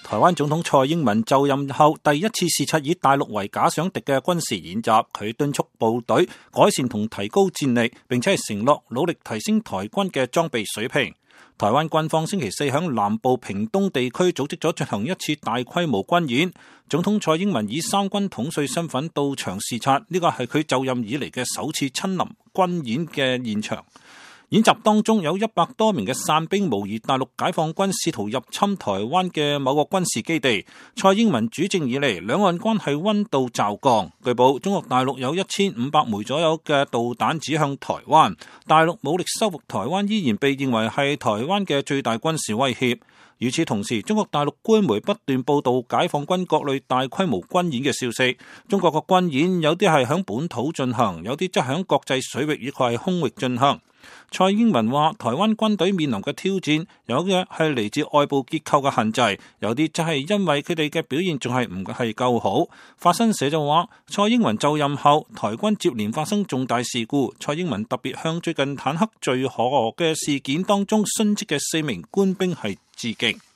台灣總統蔡英文就任後第一次視察以大陸為假想敵嘅軍事演習，佢敦促部隊改善同提高戰力，並且係承諾努力提升台軍嘅裝備水平。台灣軍方星期四響南部屏東地區組織咗進行一次大規模軍演，總統蔡英文以三軍統帥身份到場視察，呢個係佢就任以嚟嘅首次親臨軍演嘅現場。演習當中有100多名嘅傘兵模擬大陸解放軍試圖入侵台灣嘅某個軍事基地。蔡英文主政以嚟，兩岸關係溫度驟降。據報，中國大陸有1500枚左右嘅導彈指向台灣，大陸武力收復台灣依然被認為係台灣嘅最大軍事威脅。與此同時，中國大陸官媒不斷報道解放軍各類大規模軍演嘅消息。中國嘅軍演有啲係響本土進行，有啲則響國際水域亦係空域進行。蔡英文話，台灣軍隊面臨嘅挑戰，有嘅係嚟自外部結構嘅限制，有啲就係因為佢哋嘅表現仲係唔係夠好。法新社就話，蔡英文就任後，台軍接連發生重大事故，蔡英文特別向最近坦克墜河嘅事件當中殉職嘅4名官兵係致敬。